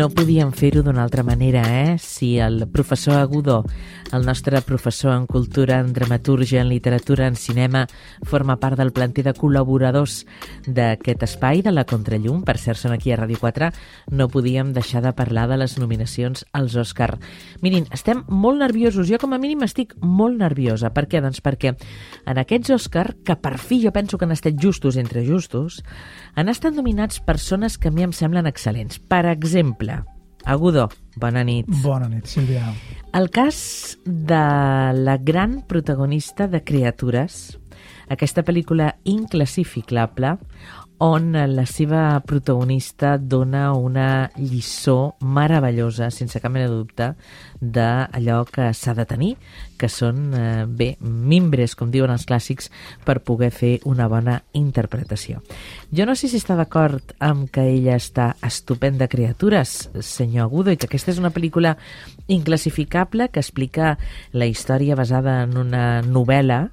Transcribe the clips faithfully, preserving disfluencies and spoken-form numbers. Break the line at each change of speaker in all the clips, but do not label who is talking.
No podíem fer-ho d'una altra manera, eh? Si el professor Agudo, el nostre professor en cultura, en dramatúrgia, en literatura, en cinema, forma part del planter de col·laboradors d'aquest espai, de la Contrallum, per cert, són aquí a Ràdio quatre, no podíem deixar de parlar de les nominacions als Òscar. Mirin, estem molt nerviosos, jo com a mínim estic molt nerviosa. Per què? Doncs perquè en aquests Òscar, que per fi jo penso que han estat justos entre justos, han estat nominats persones que a mi em semblen excel·lents. Per exemple, Agudo, bona nit.
Bona nit, Sílvia.
El cas de la gran protagonista de Criatures, aquesta pel·lícula inclassificable, on la seva protagonista dona una lliçó meravellosa, sense cap mena de dubte, d'allò que s'ha de tenir, que són, eh, bé, mimbres, com diuen els clàssics, per poder fer una bona interpretació. Jo no sé si està d'acord amb que ella està estupenda Criatures, senyor Agudo, i que aquesta és una pel·lícula inclassificable que explica la història basada en una novel·la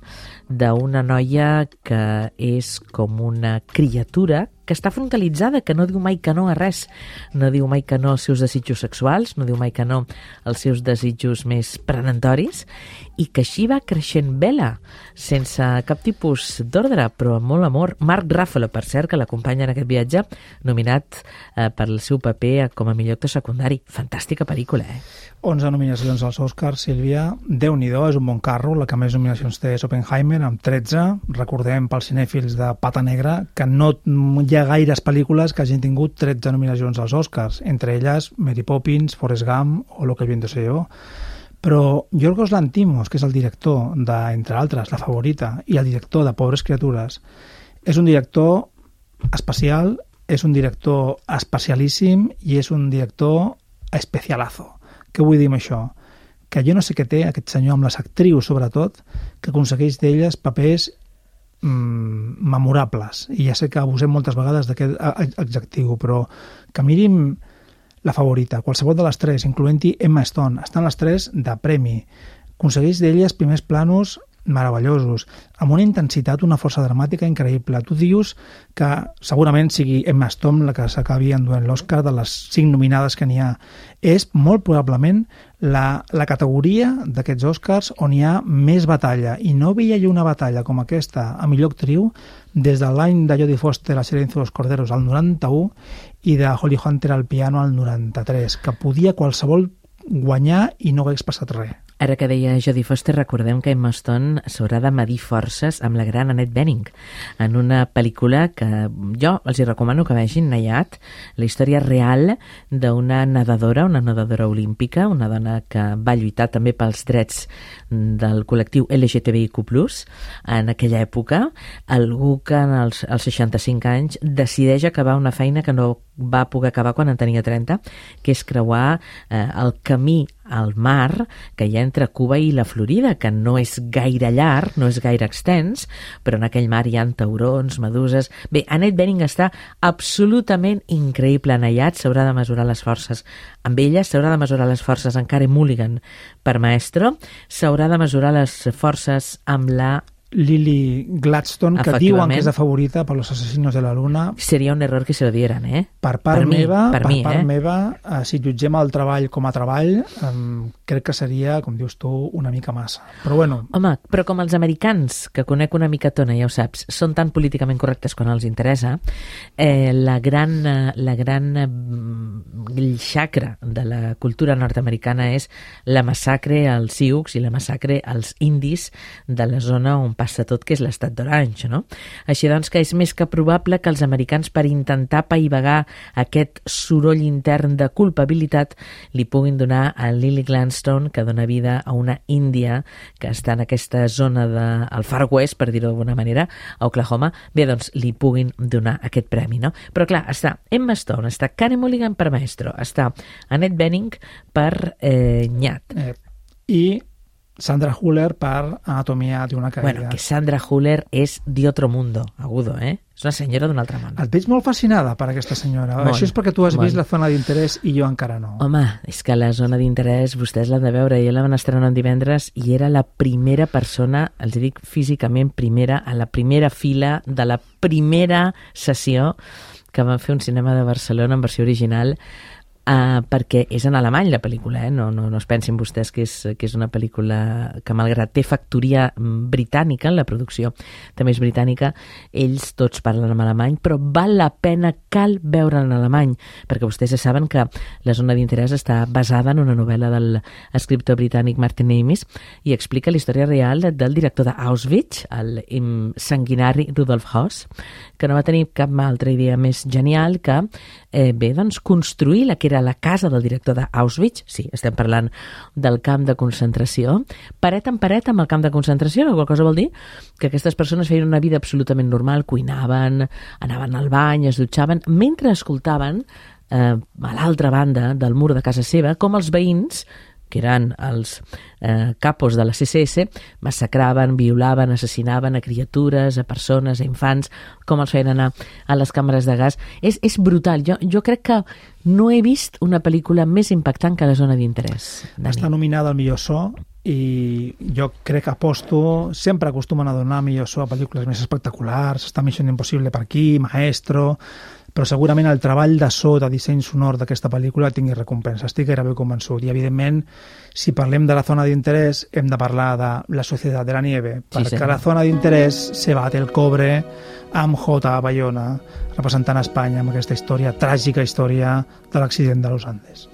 d'una noia que és com una criatura que està frontalitzada, que no diu mai que no a res. No diu mai que no als seus desitjos sexuals, no diu mai que no als seus desitjos més prenatoris, i que així va creixent Bella, sense cap tipus d'ordre, però amb molt amor. Mark Ruffalo, per cert, que l'acompanya en aquest viatge, nominat eh, per el seu paper com a millor actor secundari. Fantàstica pel·lícula, eh?
onze nominacions als Oscars, Sílvia. Déu-n'hi-do, és un bon carro. La que més nominacions té és Oppenheimer, amb tretze. Recordem pels cinèfils de Pata Negra que no hi ha gaires pel·lícules que hagin tingut tretze nominacions als Oscars, entre elles Mary Poppins, Forrest Gump o Lo que el viento se llevó. Però Yorgos Lanthimos, que és el director de, entre altres, La Favorita, i el director de Pobres Criatures, és un director especial, és un director especialíssim i és un director especialazo. Què vull dir amb això? Que jo no sé què té aquest senyor amb les actrius, sobretot, que aconsegueix d'elles papers mmm, memorables. I ja sé que abusem moltes vegades d'aquest adjectiu, però que mirim La Favorita, qualsevol de les tres, incloent-hi Emma Stone, estan les tres de premi. Aconsegueix d'elles primers planos meravellosos, amb una intensitat, una força dramàtica increïble. Tu dius que segurament sigui Emma Stone la que s'acabi enduent l'Oscar de les cinc nominades que n'hi ha. És molt probablement la, la categoria d'aquests Oscars on hi ha més batalla, i no veia jo una batalla com aquesta a millor actriu des de l'any de Jodie Foster a Silencio de los Corderos al noranta-u i de Holly Hunter al piano al noranta-tres, que podia qualsevol guanyar i no hagués passat res.
Ara que deia Jodie Foster, recordem que Emma Stone s'haurà de medir forces amb la gran Annette Bening en una pel·lícula que jo els hi recomano que vegin, Nayat, la història real d'una nedadora, una nedadora olímpica, una dona que va lluitar també pels drets del col·lectiu L G T B I Q plus, en aquella època, algú que en els, als seixanta-cinc anys decideix acabar una feina que no va poder acabar quan en tenia trenta, que és creuar eh, el camí al mar que hi ha entre Cuba i la Florida, que no és gaire llarg, no és gaire extens, però en aquell mar hi ha taurons, meduses... Bé, Annette Bening està absolutament increïble en Nayat, s'haurà de mesurar les forces amb ella, s'haurà de mesurar les forces amb Carey Mulligan per Maestro, s'haurà de mesurar les forces amb la
Lily Gladstone, que diuen que és la favorita per Los Asesinos de la Luna.
Seria un error que se lo dieran, eh?
Per part
per
meva,
mi, per
per
mi,
part
eh?
meva eh, si jutgem el treball com a treball, eh, crec que seria, com dius tu, una mica massa. Però bueno...
Home, però com els americans, que conec una micatona, ja ho saps, són tan políticament correctes quan els interessa, eh, la gran, la gran xacra de la cultura nord-americana és la massacre als sioux i la massacre als indis de la zona on passa tot, que és l'estat d'Orange, no? Així doncs que és més que probable que els americans, per intentar apaivagar aquest soroll intern de culpabilitat, li puguin donar a Lily Gladstone, que dona vida a una índia que està en aquesta zona del Far West, per dir-ho d'alguna manera, a Oklahoma, bé, doncs li puguin donar aquest premi, no? Però clar, està Emma Stone, està Carey Mulligan per Maestro, està Annette Bening per eh, Nyat.
Eh, I Sandra Huller per Anatomia d'una caïda.
Bueno, que Sandra Huller és de otro mundo, Agudo, eh? És una senyora d'un altre món.
Et veig molt fascinada per aquesta senyora.
Molt,
Això és perquè tu has
molt.
vist La zona d'interès i jo encara no.
Home, és que La zona d'interès vostès l'han de veure. Jo la van estrenar un divendres i era la primera persona, els dic físicament primera, a la primera fila de la primera sessió que van fer un cinema de Barcelona en versió original. Uh, perquè és en alemany la pel·lícula, eh? no, no, no es pensin vostès que és, que és una pel·lícula que malgrat té factoria britànica en la producció, també és britànica, ells tots parlen en alemany, però val la pena, cal veure en alemany, perquè vostès ja saben que La zona d'interès està basada en una novel·la del escriptor britànic Martin Amis i explica la història real del director d'Auschwitz, el sanguinari Rudolf Höss, que no va tenir cap altra idea més genial que eh, bé, doncs, construir la que era la casa del director d'Auschwitz, sí, estem parlant del camp de concentració, paret en paret amb el camp de concentració, la qual cosa vol dir que aquestes persones feien una vida absolutament normal, cuinaven, anaven al bany, es dutxaven, mentre escoltaven eh, a l'altra banda del mur de casa seva com els veïns, que eren els eh, capos de la C S S, massacraven, violaven, assassinaven a criatures, a persones, a infants, com els feien anar a les càmeres de gas. És, és brutal. Jo, jo crec que no he vist una pel·lícula més impactant que La zona d'interès.
Està nominada al millor so i jo crec que aposto, sempre acostumen a donar millor so a pel·lícules més espectaculars, està Mission Impossible per aquí, Maestro, però segurament el treball de so, de disseny sonor d'aquesta pel·lícula tingui recompensa, estic gairebé convençut. I evidentment, si parlem de La zona d'interès, hem de parlar de La societat de la nieve, sí, perquè sí. La zona d'interès se bate el cobre amb J. Bayona, representant Espanya amb aquesta història, tràgica història de l'accident de los Andes.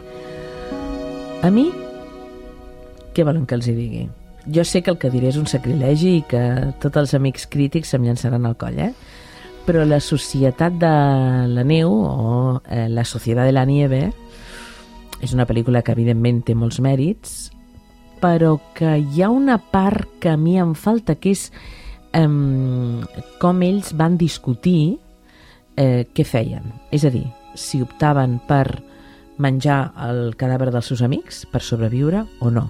A mi, què volen que els hi digui? Jo sé que el que diré és un sacrilegi i que tots els amics crítics se'm llançaran al coll, eh? Però La societat de la neu o eh, La societat de la nieve és una pel·lícula que evidentment té molts mèrits, però que hi ha una part que a mi em falta, que és eh, com ells van discutir eh, què feien. És a dir, si optaven per menjar el cadàver dels seus amics per sobreviure o no.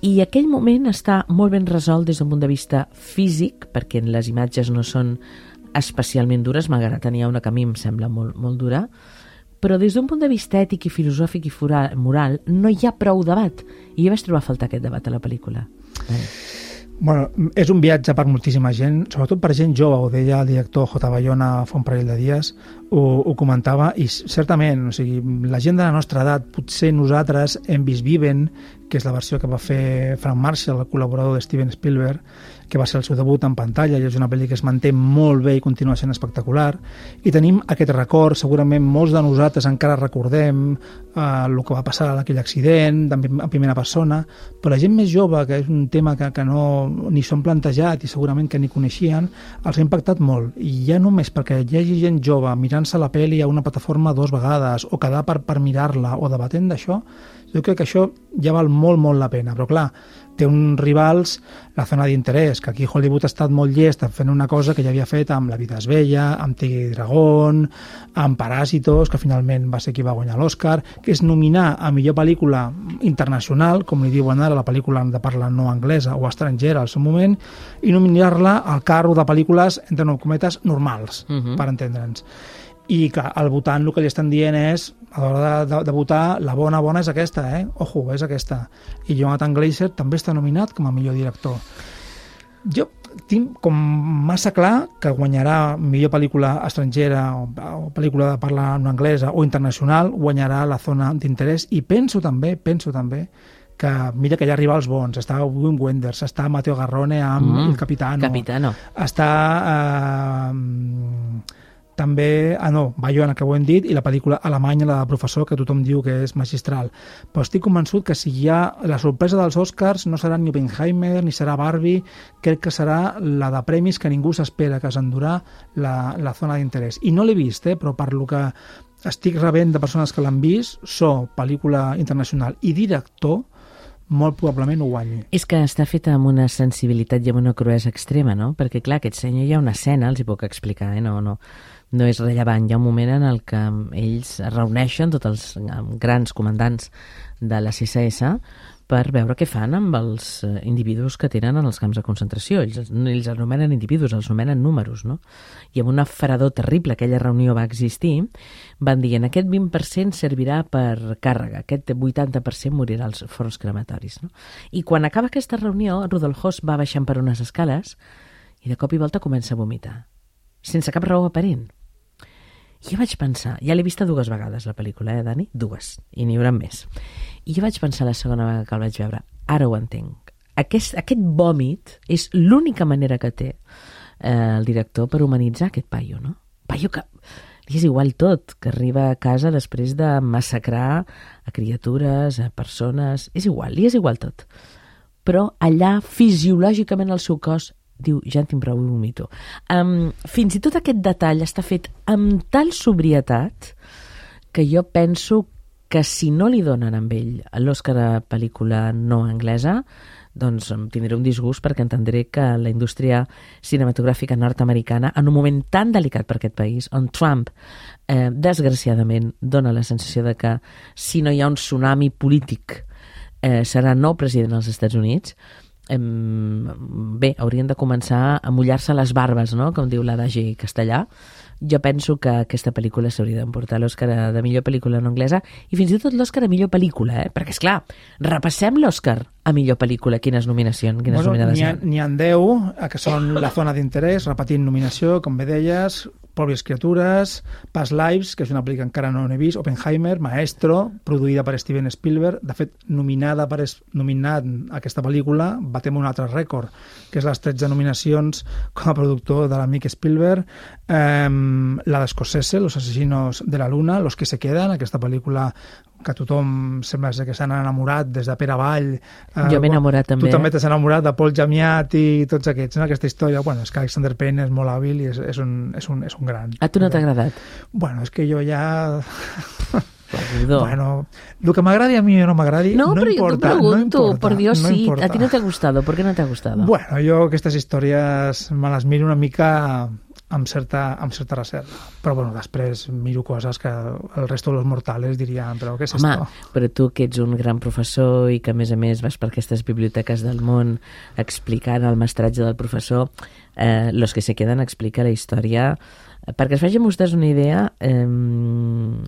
I aquell moment està molt ben resolt des d'un punt de vista físic, perquè les imatges no són especialment dures, malgrat tenia una que a mi em sembla molt, molt dura, però des d'un punt de vista ètic i filosòfic i moral no hi ha prou debat, i jo vaig trobar a faltar aquest debat a la pel·lícula. Eh.
Bueno, és un viatge per moltíssima gent, sobretot per gent jove, ho deia el director J. Bayona fa un parell de dies, ho, ho comentava, i certament, o sigui, la gent de la nostra edat, potser nosaltres hem vist Viven, que és la versió que va fer Frank Marshall, el col·laborador de Steven Spielberg, que va ser el seu debut en pantalla, i és una pel·li que es manté molt bé i continua sent espectacular, i tenim aquest record, segurament molts de nosaltres encara recordem eh, el que va passar en aquell accident, en primera persona, però la gent més jove, que és un tema que, que no ni s'han plantejat i segurament que ni coneixien, els ha impactat molt, i ja només perquè hi hagi gent jove mirant-se la pel·li a una plataforma dues vegades, o quedar per, per mirar-la, o debatent d'això, jo crec que això ja val molt, molt la pena, però clar, té uns rivals, La zona d'interès, que aquí Hollywood ha estat molt llest fent una cosa que ja havia fet amb La vida és bella, amb Tigre i Dragón, amb Parásitos, que finalment va ser qui va guanyar l'Oscar, que és nominar a millor pel·lícula internacional, com li diuen ara la pel·lícula de parla no anglesa o estrangera al seu moment, i nominar-la al carro de pel·lícules, entre nou cometes, normals, uh-huh. per entendre'ns. I clar, al votant el que li estan dient és, a l'hora de, de, de votar, la bona bona és aquesta, eh? Ojo, és aquesta. I Jonathan Glazer també està nominat com a millor director. Jo tinc com massa clar que guanyarà millor pel·lícula estrangera o, o pel·lícula de parla no anglesa o internacional, guanyarà La zona d'interès, i penso també, penso també que mira que hi ha rivals bons, està Wim Wenders, està Matteo Garrone amb mm, El Capitano,
Capitano.
està eh, també, ah no, Bayona, que ho hem dit, i la pel·lícula alemanya, la de Professor, que tothom diu que és magistral. Però estic convençut que si hi ha la sorpresa dels Oscars no serà ni Oppenheimer, ni serà Barbie, crec que serà la de premis que ningú s'espera que s'endurà la, la zona d'interès. I no l'he vist, eh, però per lo que estic rebent de persones que l'han vist, so, pel·lícula internacional i director, molt probablement ho guanyi.
És que està feta amb una sensibilitat i amb una cruesa extrema, no? Perquè, clar, aquest senyor hi ha una escena, els hi puc explicar, eh? No, no, no és rellevant. Hi ha un moment en el que ells es reuneixen, tots els grans comandants de la C S S, per veure què fan amb els individus que tenen en els camps de concentració. Ells, ells anomenen individus, els anomenen números, no? I amb una fredor terrible, aquella reunió va existir, van dir, aquest vint per cent servirà per càrrega, aquest vuitanta per cent morirà als forns crematoris, no? I quan acaba aquesta reunió, Rudolf Höss va baixant per unes escales i de cop i volta comença a vomitar, sense cap raó aparent. I jo vaig pensar, ja l'he vista dues vegades la pel·lícula, eh, Dani? Dues, i n'hi haurà més. I jo vaig pensar la segona vegada que el vaig veure, ara ho entenc. Aquest, aquest vòmit és l'única manera que té eh, el director per humanitzar aquest paio, no? Paio que li és igual tot, que arriba a casa després de massacrar a criatures, a persones... És igual, li és igual tot. Però allà, fisiològicament, el seu cos diu, ja en tinc prou i vomito. Um, fins i tot aquest detall està fet amb tal sobrietat que jo penso que si no li donen amb ell l'Oscar a pel·lícula no anglesa, doncs em tindré un disgust perquè entendré que la indústria cinematogràfica nord-americana, en un moment tan delicat per aquest país, on Trump, eh, desgraciadament, dona la sensació de que si no hi ha un tsunami polític eh, serà nou president dels Estats Units, bé, haurien de començar a mullar-se les barbes, no?, com diu l'adagi castellà. Jo penso que aquesta pel·lícula s'hauria d'emportar l'Òscar de millor pel·lícula no anglesa i fins i tot l'Òscar a millor pel·lícula, eh? Perquè, esclar, repassem l'Òscar a millor pel·lícula. Quines nominacions, quines
bueno,
nominades
n'hi ha, n'hi ha deu, que són La zona d'interès, repetint nominació, com bé deies, Pròpies criatures, Past Lives, que és una pel·lícula que encara no n'he vist, Oppenheimer, Maestro, produïda per Steven Spielberg. De fet, nominada per nominat aquesta pel·lícula, batem un altre rècord, que és les tretze nominacions com a productor de l'amic Spielberg. Eh, la d'Escocese, Los asesinos de la luna, Los que se quedan, aquesta pel·lícula que tothom sembla que s'han enamorat des de Pere Vall. Eh,
jo m'he enamorat també.
Tu també t'has enamorat de Paul Giamatti i tots aquests, no? Aquesta història. Bueno, és que Alexander Payne és molt hàbil i és, és, un, és, un, és un gran.
A tu no t'ha agradat?
Bueno, és que jo ja...
Perdó.
Bueno, el que m'agradi a mi o no m'agradi
no,
no
però
importa.
Jo t'ho pregunto,
no importa,
por Dios,
no
sí.
Importa.
A ti no t'ha gustado, ¿por qué no t'ha gustado?
Bueno, jo aquestes històries me les miro una mica amb certa, amb certa reserva. Però bueno, després miro coses que el resto de los mortales dirien, però què és
Home,
esto?
però tu que ets un gran professor i que a més a més vas per aquestes biblioteques del món explicant el mestratge del professor, eh, Los que se quedan explica la història. Perquè es facin vostès una idea, eh,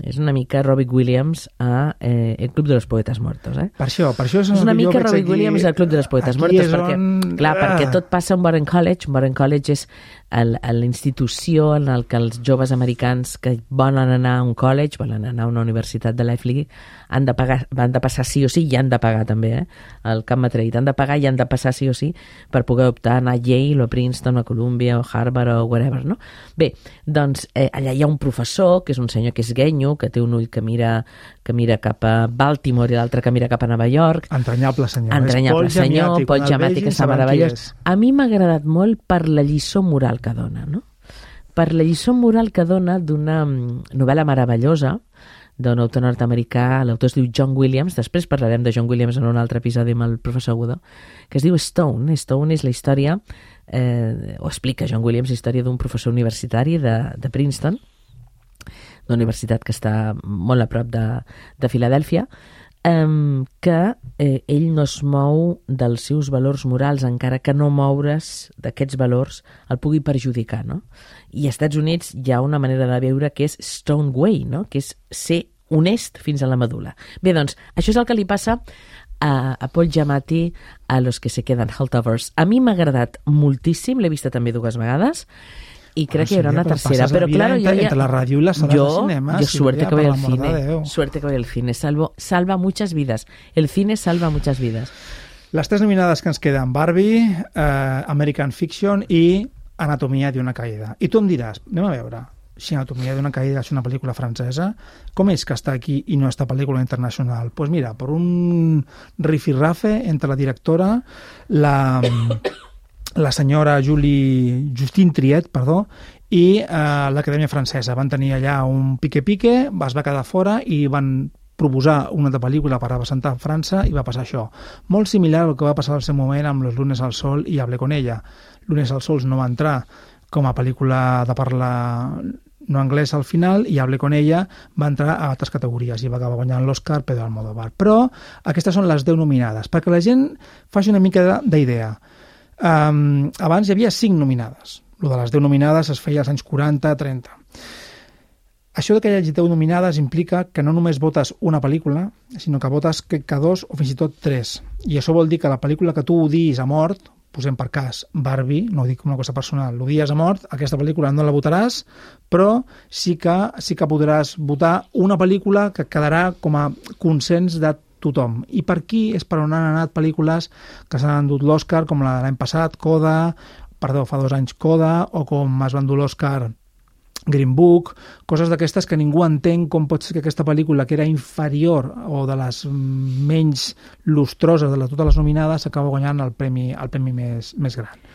és una mica Robbie Williams a eh, El Club de los Poetes Muertos. Eh?
Per això, per això és,
és una mica Robbie
aquí,
Williams al Club de los Poetes Muertos, perquè, on... clar, ah. perquè tot passa a un Warren College. Un Warren College és la institució en el que els joves americans que volen anar a un college, volen anar a una universitat de l'Ivy League, han de pagar, han de passar sí o sí, i han de pagar també, eh? El Camp Matreid, han de pagar i han de passar sí o sí per poder optar a anar a Yale o a Princeton o a Columbia o Harvard o whatever, no? Bé, doncs eh, allà hi ha un professor, que és un senyor que és guenyo, que té un ull que mira, que mira cap a Baltimore i l'altre que mira cap a Nova York.
Entranyable senyor.
Entranyable senyor, Paul Giamatti, que està meravellós. A mi m'ha agradat molt per la lliçó moral que dona, no? Per la lliçó moral que dona d'una novel·la meravellosa d'un autor nord-americà, l'autor es diu John Williams, després parlarem de John Williams en un altre episodi amb el professor Godó, que es diu Stone. Stone és la història, eh, o explica John Williams, la història d'un professor universitari de, de Princeton, d'una universitat que està molt a prop de, de Filadèlfia, Um, que eh, ell no es mou dels seus valors morals, encara que no moure's d'aquests valors el pugui perjudicar, no? I als Estats Units hi ha una manera de veure que és Stone Way, no? Que és ser honest fins a la medul·la. Bé, doncs, això és el que li passa a, a Paul Giamatti a Los que se quedan Holdovers. A mi m'ha agradat moltíssim, l'he vista també dues vegades, i crec
ah,
que hi haurà una tercera, però claro,
entre,
yo ya,
entre la radio y las salas
yo,
de cinema,
yo suerte que voy al cine,
de
suerte que voy al cine, salvo, salva muchas vidas, el cine salva muchas vidas.
Les tres nominades que ens queden, Barbie, eh, American Fiction i Anatomia d'una caïda. I tu em diràs, anem a veure, si Anatomia d'una caïda és una pel·lícula francesa, com és que està aquí i no està pel·lícula internacional? Doncs pues mira, per un rifirrafe entre la directora, la... la senyora Julie, Justine Triet, perdó, i eh, l'Acadèmia Francesa. Van tenir allà un pique-pique, es va quedar fora i van proposar una altra pel·lícula per representar França i va passar això. Molt similar al que va passar al seu moment amb Los lunes al sol i Hablé con ella. Lunes al sol no va entrar com a pel·lícula de parla no anglès al final i Hablé con ella va entrar a altres categories i va acabar guanyant l'Oscar Pedro Almodóvar. Però aquestes són les deu nominades, perquè la gent faci una mica d'idea. Um, abans hi havia cinc nominades. Lo de les deu nominades es feia als anys quaranta trenta. Això de que hi hagi deu nominades implica que no només votes una pel·lícula, sinó que votes que, que dos o fins i tot tres. I això vol dir que la pel·lícula que tu odiis a mort posem per cas Barbie, no ho dic com una cosa personal, l'odies a mort, aquesta pel·lícula no la votaràs, però sí que, sí que podràs votar una pel·lícula que quedarà com a consens de tothom. I per aquí és per on han anat pel·lícules que s'han endut l'Oscar, com la de l'any passat, Coda, perdó, fa dos anys Coda, o com es va endur l'Oscar Green Book, coses d'aquestes que ningú entén com pot ser que aquesta pel·lícula, que era inferior o de les menys lustroses de totes les nominades, s'acaba guanyant el premi, el premi més, més gran.